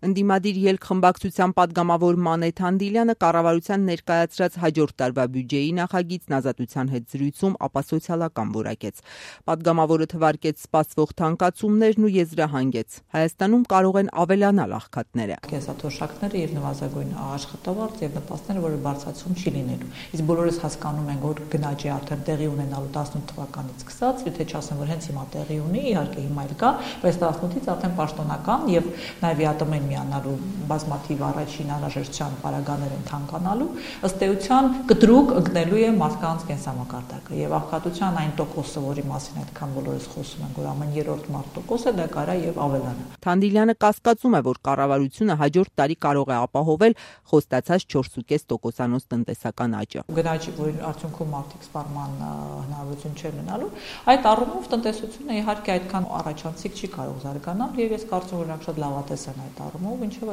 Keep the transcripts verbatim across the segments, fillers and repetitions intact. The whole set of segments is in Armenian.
Ընդդիմադիր ելք խմբակցության պատգամավոր Մանե Թանդիլյանը կառավարության ներկայացրած հաջորդ տարվա բյուջեի նախագիծն Ազատության հետ զրույցում ապասոցիալական որակեց։ Պատգամավորը թվարկեց սպասվող թանկացումներն ու եզրահանգեց. Հայաստանում կարող են ավելանալ աղքատները։ Կենսաթոշակները եւ նվազագույն աշխատավարձ եւ նպաստները, որը բարձրացում չի լինելու։ Իսկ բոլորս հասկանում ենք, որ գնաճի արդեն տեղի ունենալու տասնութ թվականից սկսած, եթե չասեմ, որ հենց հիմա տեղի ունի, իհարկե հիմա էլ կա, բայց տասնութից արդեն պաշտոնական եւ նաեւ ԵԱՏՄ-ին միանալու բազմաթիվ առաջին անհրաժեշտության պարագաներ են թանկանալու, ըստ էության կտրուկ ընկնելու է մարդկանց կենսամակարդակը եւ աղքատության այն տոկոսը, որի մասին այդքան բոլորս խոսում ենք, որ ամեն երրորդ մարդ տոկոս է, դա կարա եւ ավելանա։ Թանդիլյանը կասկածում է, որ կառավարությունը հաջորդ տարի կարող է ապահովել խոստացած չորս կόμμα պենս տոկոսանոց տնտեսական աճը։ Գնաճի, որի արդյունքում մարդիկ սպառման հնարավորություն չեն ունենալու, այդ առումով տնտեսությունը իհարկե այդքան առաջանցիկ չի կարող զարգանալ եւ ես կարծում եմ, որ նրանք շատ լավատես են այդ առումով, ինչով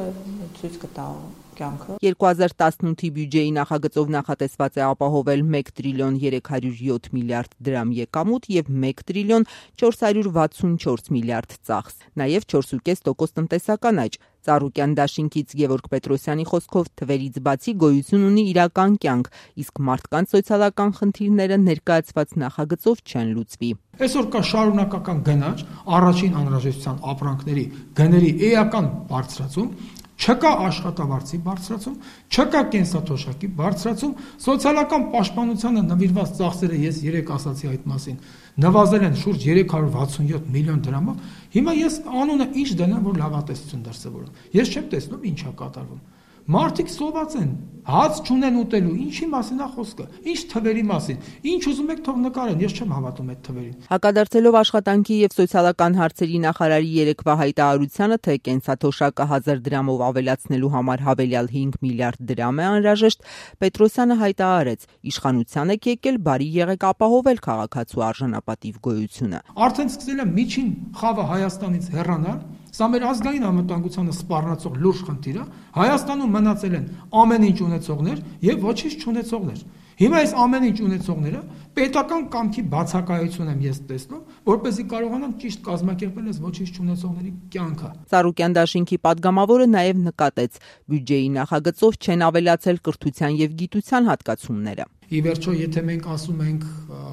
ցույց կտա կյանքը։ երկու հազար տասնութի բյուջեի նախագծով նախատեսված է ապահովել մեկ տրիլիոն երեք հարյուր յոթ միլիարդ դրամ եկամուտ եւ մեկ տրիլիոն չորս հարյուր վաթսունչորս միլիարդ ծախս, նաեւ չորս կόμμα պենս տոկոս տնտեսական աճ։ Ծառուկյան դաշինքից Գևորգ Պետրոսյանի խոսքով թվերից բացի գոյություն ունի իրական կյանք, իսկ մարդկանց սոցիալական խնդիրները ներկայացված նախագծով չեն լուծվի։ Այսօր կա շարունակական գնաճ, առաջին անհրաժեշտության ապրանքների գների էական բարձրացում, չկա աշխատավարձի բարձրացում, չկա կենսաթոշակի բարձրացում, սոցիալական պաշտպանությանը նվիրված ծախսերը, ես երեք ասացի այդ մասին, նվազել են շուրջ երեք հարյուր վաթսունյոթ միլիոն դրամով։ Հիմա ես անունը ինչ դնեմ, որ լավատեսություն դրսևորեմ։ Ես չեմ տեսնում ինչ է կատարվում։ Մարդիկ սոված են, հաց չունեն ուտելու, ինչի մասին է խոսքը, ինչ թվերի մասին, ինչ ուզում եք թող նկարեն, ես չեմ հավատում այդ թվերին։ Հակադարձելով աշխատանքի եւ սոցիալական հարցերի նախարարի երեկվա հայտարարությանը, թե կենսաթոշակը հազար դրամով ավելացնելու համար հավելյալ հինգ միլիարդ դրամ է անհրաժեշտ, Պետրոսյանը հայտարարեց. իշխանության եք եկել, բարի եղեք ապահովել քաղաքացու արժանապատիվ գոյությունը։ Արդեն սկսել է միջին խավը Հայաստանից հեռանալ։ Սա մեր ազգային անվտանգությանը սպառնացող լուրջ խնդիր է։ Հայաստանում մնացել են ամեն ինչ ունեցողներ եւ ոչինչ չունեցողներ։ Հիմա այս ամեն ինչ ունեցողները պետական կամքի բացակայություն եմ ես տեսնում, որպեսզի կարողանան ճիշտ կազմակերպել այս ոչինչ չունեցողների կյանքը։ Ծառուկյան դաշինքի պատգամավորը նաեւ նկատեց. բյուջեի նախագծով չեն ավելացել կրթության եւ գիտության հատկացումները։ Ի վերջո, եթե մենք ասում ենք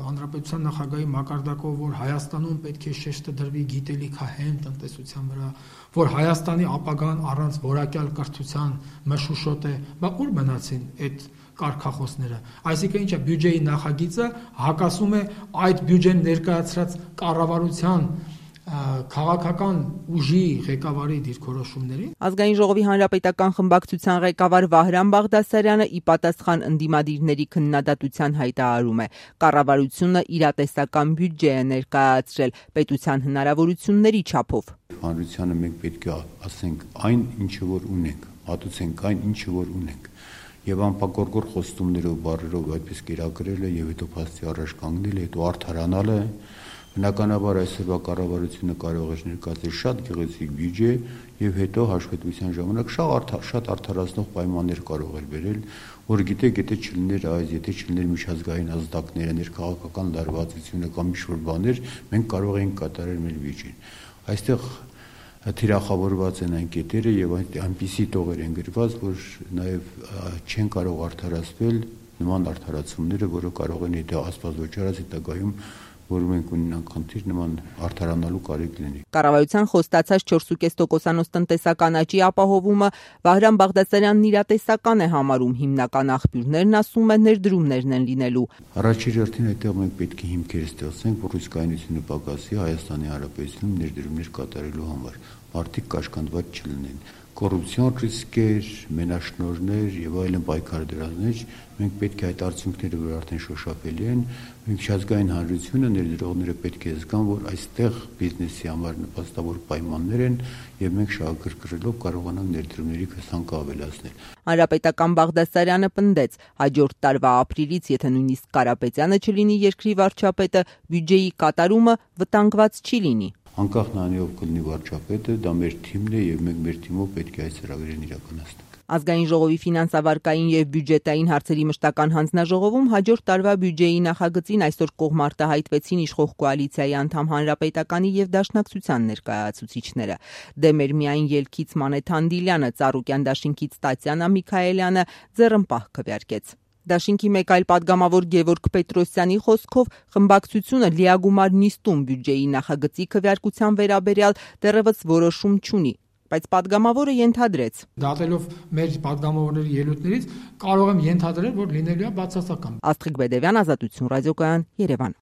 հանրապետության նախագահի մակարդակով, որ Հայաստանում պետք է շեշտը դրվի գիտելիքահեն տնտեսության վրա, որ Հայաստանի ապագան առանց որակյալ կրթության մշուշոտ է, բա ուր մնացին այդ կարգախոսները։ Այսինքն ինչ է, բյուջեի նախագիծը հակասում է այդ բյուջեն ներկայացրած կառավարության քաղաքական ուժի ղեկավարի դիրքորոշումներին։ Ազգային ժողովի հանրապետական խմբակցության ղեկավար Վահրամ Բաղդասարյանը ի պատասխան ընդդիմադիրների քննադատության հայտարարում է. կառավարությունը իրատեսական բյուջե է ներկայացրել պետության հնարավորությունների չափով։ Հանրությանը մենք պետք է ասենք այն, ինչը որ ունենք, մատուցենք այն, ինչը որ ունենք։ Եվ անպակորկոր խոստումներով, բառերով այդպես կերակրել է եւ հետո փաստի առաջ կանգնել է, հետո արդարանալ է։ Բնականաբար այսօրվա կառավարությունը կարող է ներկայացնել շատ գեղեցիկ բյուջե եւ հետո հաշվետվության ժամանակ շատ արդարացնող պայմաններ կարող է բերել, որ գիտեք, եթե չլիներ այս, եթե չլիներ միջազգային ազդակները, ներքաղաքական լարվածությունը կամ ինչ-որ բաներ, մենք կարող էինք կատարել մեր բյուջեն։ Այստեղ թիրախավորված են այն կետերը եւ այնպիսի տողեր են գրված, որ նաեւ չեն կարող արդարացվել նման արդարացումները, որը կարող են եթե աստված ոչ արած հետագայում որ մենք ունենանք խնդիր նման արդարանալու կարիք լինի։ Կառավարության խոստացած չորս կόμμα պենս տոկոսանոց տնտեսական աճի ապահովումը Վահրամ Բաղդասարյանն իրատեսական է համարում, հիմնական աղբյուրներն ասում է ներդրումներն են լինելու։ Առաջին հերթին այդտեղ մենք պետք է հիմքեր ստեղծենք, որ ռիսկայնությունը պակասի Հայաստանի Հանրապետությունում ներդրումներ կատարելու համար, մարդիկ կաշկանդված չլինեն։ Կոռուպցիոն ռիսկեր, մենաշնորհներ եւ այլն պայքարդրաններ, մենք պետք է այդ արդյունքները, որ արդեն շոշափելի են, միջազգային հանրությունը ներդրողները պետք է զգան, որ այստեղ բիզնեսի համար նպաստավոր պայմաններ են եւ մենք շահագրգռելով կարողանանք ներդրումների քսանքը ավելացնել։ Հանրապետական Բաղդասարյանը պնդեց, հաջորդ տարվա ապրիլից, եթե նույնիսկ Կարապետյանը չլինի երկրի վարչապետը, բյուջեի կատարումը վտանգված չի լինի։ անկախ նրանից ով կլինի վարչապետը, դա մեր թիմն է եւ մենք մեր թիմով պետք է այս ծրագրերն իրականացնենք։ Ազգային ժողովի ֆինանսավարկային եւ բյուջետային հարցերի մշտական հանձնաժողովում հաջորդ տարվա բյուջեի նախագծին այսօր կողմարտահայտվեցին իշխող կոալիցիայի անդամ Հանրապետականի եւ Դաշնակցության ներկայացուցիչները։ Դեմեր միայն ելքից Մանեթ Անդիլյանը, Ծառուկյան դաշինքից Տատյանա Միքայելյանը ձեռնպահ քվեարկեց։ Դաշինքի մեկ այլ падգամավոր Գևորգ Պետրոսյանի խոսքով խմբակցությունը լիագումար նիստում բյուջեի նախագծի քվեարկության վերաբերյալ դեռևս որոշում չունի, բայց падգամավորը ենթադրեց. Դատելով մեր падգամավորների ելույթներից կարող եմ ենթադրել, որ լինելու է բացասական։ Աստղիկ Բեդևյան, Ազատություն ռադիոկայան, Երևան։